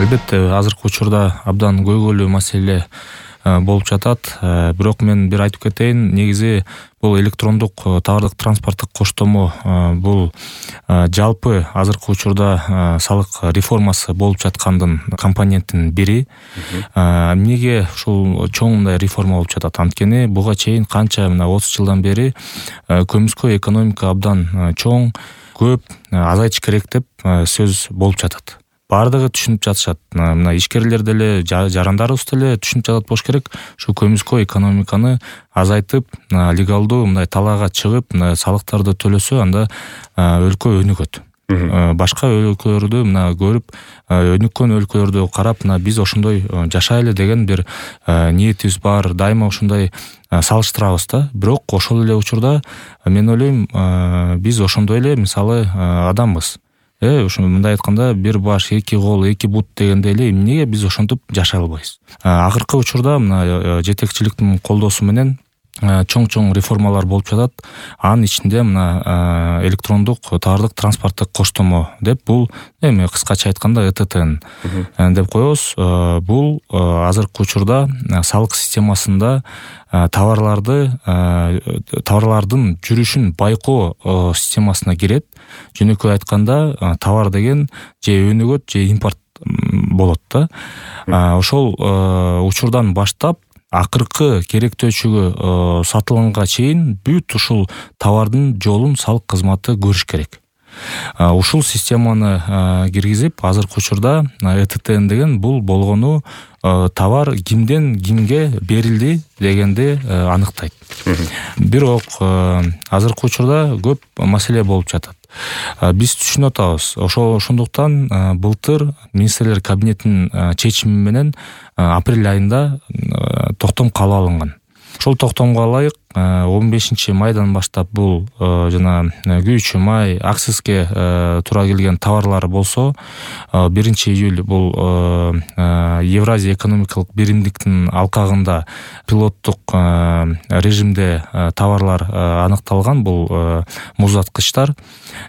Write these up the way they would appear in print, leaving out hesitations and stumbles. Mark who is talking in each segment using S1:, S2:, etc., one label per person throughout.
S1: Албетте азыркы учурда абдан көйгөйлүү маселе болуп жатат. Бирок мен бир айтып кетейин, негизи бул электрондук товардык транспорттук коштомо бул жалпы азыркы учурда салык реформасы болуп жаткандын компонентинин бири. Эмнеге ушул чоң мындай реформа болуп жатат? Анткени буга чейин канча 30 жылдан бери көмүскө экономика абдан чоң, көп, азайтыш керек деп сөз болуп жатат. Бардыгы түшүнүп жатышат. Мына ишкерлер деле, жарандарыбыз деле түшүнүп жатат болуш керек. Ушу көмүскө экономиканы азайтып, легалдуу мындай талаага чыгып, салыктарды төлөсө, анда өлкө өнүгөт. Башка өлкөлөрдү көрүп, өнүккөн өлкөлөрдү карап, биз ошондой жашайлы деген бир ниетибиз бар. Дайыма ошондой салыштырабыз да. Бирок ошол эле учурда мен ойлойм, биз ошондой эле мисалы адамбыз. Мындай айтканда, бир баш, эки кол, эки бут дегендей эле, эмнеге биз ошентип жашай албайбыз? Акыркы учурда жетекчиликтин колдоосу менен чоң реформалар болуп жатат. Анын ичинде электрондук товардык транспорттук коштомо деп, бул кыскача айтканда ЭТТ деп коебуз. Бул азыркы учурда салык системасында товарлардын жүрүшүн байкоо системасына кирет. Жөнөкөй айтканда, товар деген же өнүгөт, же импорт болот да. Ошол учурдан баштап акыркы керектөөчүгө сатылганга чейин бүт ушул товардын жолун салык кызматы көрүш керек. Ушул системаны киргизип, азыркы учурда ЭТТ деген бул болгону товар кимден кимге берилди дегенди аныктайт. Бирок азыркы учурда көп маселе болуп жатат. Биз түшүнүп атабыз. Ошондуктан былтыр министрлер кабинетинин чечими менен апрель айында токтом кабыл алынган. Ошол токтомго ылайык 15 майдан баштап бул жана күйүүчү май, акцизге туура келген товарлар болсо, 1 июль бул Евразия экономикалык биримдиктин алкагында пилоттук режимде товарлар аныкталган, бул муздаткычтар.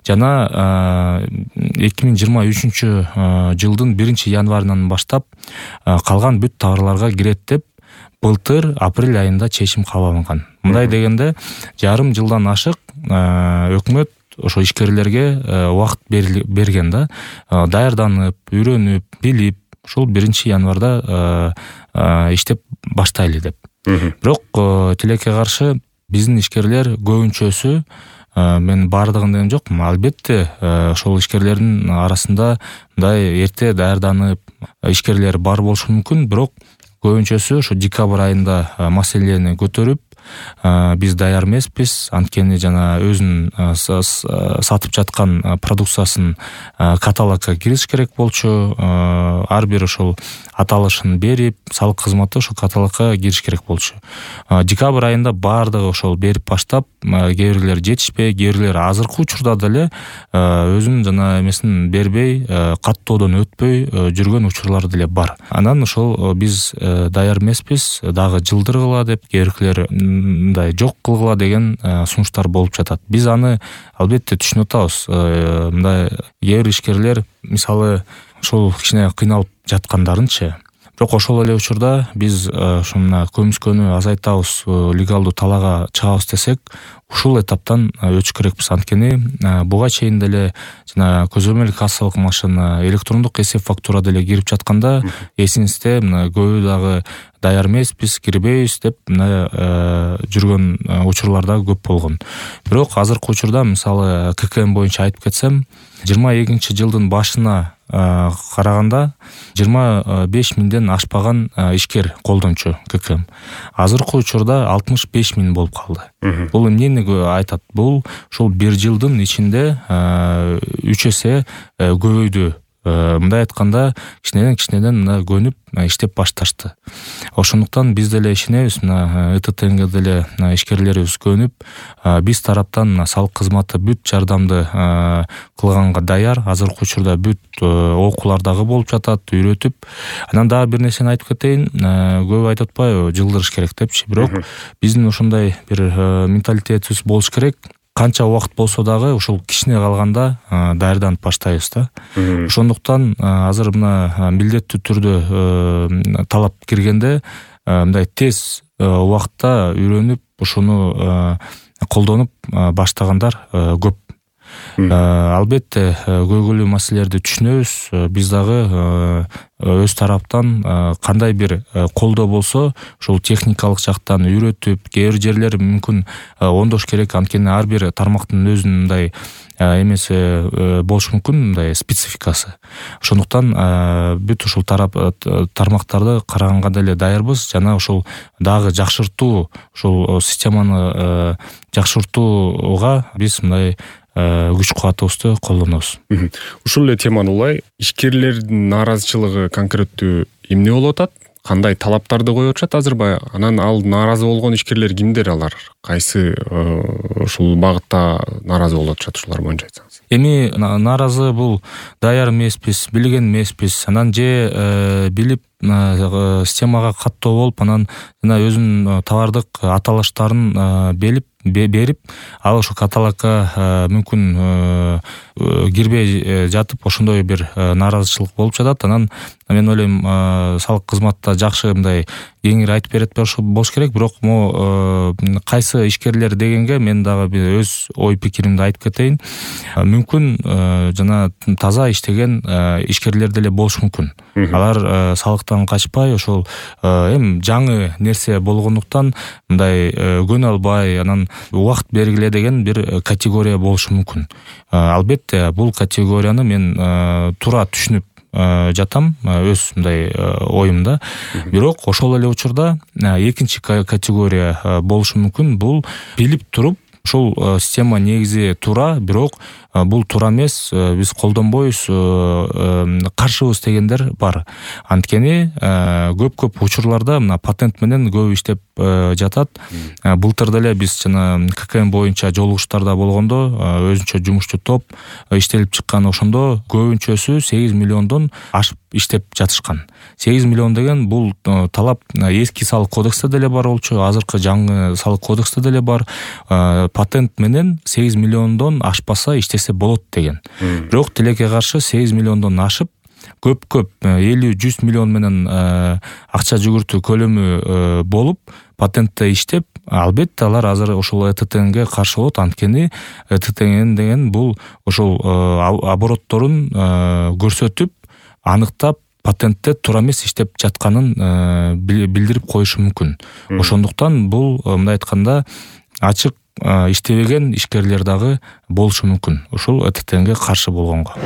S1: Жана 2023 жылдын 1 январынан баштап калган бүт товарларга кирет деп былтыр апрель айында чечим кабыл алынган. Мындай дегенде, жарым жылдан ашык өкмөт ошо ишкерлерге убакыт берген да, даярданып, үйрөнүп, билип, ушул 1 январда иштеп баштайлы деп. Бирок тилекке каршы биздин ишкерлер көбүнчөсү, мен бардыгын деген жокмун, албетте ошол ишкерлердин арасында мындай эрте даярданып ишкерлер бар болушу мүмкүн, бирок көбүнчөсү ошо декабрь айында маселени көтөрүп, биз даяр эмеспиз, анткени жана өзүнүн сатып жаткан продукциясын каталогко киргизиш керек болчу, ар бир ошол аталышын берип, салык кызматы ошол каталогко кириш керек болчу. Декабрь айында бардыгы ошол берип баштап, кээ бирлер жетишпей, кээ бирлер азыркы учурда деле өзүнүн жана эмесин бербей, каттоодон өтпөй жүргөн учурлар деле бар. Анан ошол биз даяр эмеспиз, дагы жылдыргыла деп, кээ бирлер мындай жок кылгыла деген сунуштар болуп жатат. Биз аны албетте түшүнүп атабыз. Мындай кээ бир ишкерлер мисалы ошол кичине кыйналып жаткандарынчы. Бирок ошол эле учурда биз ушуна көмүскөнү азайтабыз, легалдуу талаага чыгабыз десек, ушул этаптан өтүш керекпиз. Анткени буга чейин деле жана көзөмөл кассалык машина, электрондук эсеп фактура деле кирип жатканда, эсиңизде көбү дагы даяр эмеспиз, кирбейбиз деп жүргөн учурлар да көп болгон. Бирок азыркы учурда мисалы ККМ боюнча айтып кетсем, 22 жылдын башына караганда 25 миңден ашпаган ишкер колдончу ККМ. Азыркы учурда 65 миң болуп калды. Бул эмнени айтат? Бул ушул 1 жылдын ичинде 3 эсе көбөйдү. Мындай айтканда, кичинеден көнүп иштеп башташты. Ошондуктан биз деле ишенебиз, ЭТТнге деле ишкерлерибиз көнүп, биз тараптан салык кызматы бүт жардамды кылганга даяр. Азыркы учурда бүт окуулар дагы болуп жатат, үйрөтүп. Анан дагы бир нерсени айтып кетейин, көп айтып атпайбы, жылдырыш керек депчи. Бирок биздин ошондой бир менталитетибиз болуш керек. канча убакыт болсо дагы ушул кичине калганда даярданып баштайбыз да. Ошондуктан азыр мына милдеттүү түрдө талап киргенде мындай тез убакытта үйрөнүп ушуну колдонуп баштагандар көп. Албетте көйгөйлүү маселелерди түшүнөбүз. Биз дагы өз тараптан кандай бир колдоо болсо ушул техникалык жактан үйрөтүп, кээ бир жерлери мүмкүн оңдош керек. Анткени ар бир тармактын өзүнүн мындай эмеси болушу мүмкүн, мындай спецификасы. Ошондуктан бүт ушул тармактарды караганга деле даярбыз. Жана ушул дагы жакшыртуу, ушул системаны жакшыртууга биз мындай күч кубатыбызды колдонобуз.
S2: Ушул эле теманы улай ишкерлердин нааразычылыгы конкреттүү эмне болуп атат? Кандай талаптарды коюп атышат азырбай? Анан ал нааразы болгон ишкерлер кимдер алар? Кайсы ушул багытта нааразы болуп атышат, ушулар боюнча айтсаңыз?
S1: Эми нааразы бул даяр эмеспиз, билген эмеспиз. Анан же билип системага каттоо болуп, анан жана өзүнүн товардык аталыштарын берип, ал ошол каталогко мүмкүн кирбей жатып, ошондой бир нааразычылык болуп жатат. Анан мен ойлойм, салык кызматта жакшы мындай кеңири айтып берет болуш керек. Бирок кайсы ишкерлер дегенге мен дагы өз ой пикиримди айтып кетейин. Мүмкүн жана таза иштеген ишкерлер деле болушу мүмкүн. Алар салыктан качпай, ошол эми жаңы нерсе болгондуктан мындай көнө албай, анан убакыт бергиле деген бир категория болушу мүмкүн. Албетте бул категорияны мен туура түшүнүп жатам өз мындай оюмда. Бирок ошол эле учурда экинчи категория болушу мүмкүн. Бул билип туруп, ушул система негизи туура, бирок бул туура эмес, биз колдонбойбуз, каршыбыз дегендер бар. Анткени көп учурларда мына патент менен көп иштеп жатат. Былтыр деле биз жана ККМ боюнча жолугуштарда болгондо өзүнчө жумушчу топ иштелип чыккан. Ошондо көбүнчөсү 8 миллиондон ашып иштеп жатышкан. 8 миллион деген бул талап эски салык кодексте деле бар болчу, азыркы жаңы салык кодексте деле бар. Патент менен 8 миллиондон ашпаса иштесе болот деген. Бирок тилекке каршы 8 миллиондон ашып, көп 50-100 миллион менен акча жүгүртүү көлөмү болуп, патентте иштеп, албетте алар азыр ошол ЭТТНге каршы болот. Анткени ЭТТН деген бул ошол оборотторун көрсөтүп, аныктап, патентте туура эмес иштеп жатканын билдирип коюшу мүмкүн. Ошондуктан бул мындай айтканда ачык иштебеген ишкерлер дагы болушу мүмкүн ушул ЭТТНге каршы болгонго.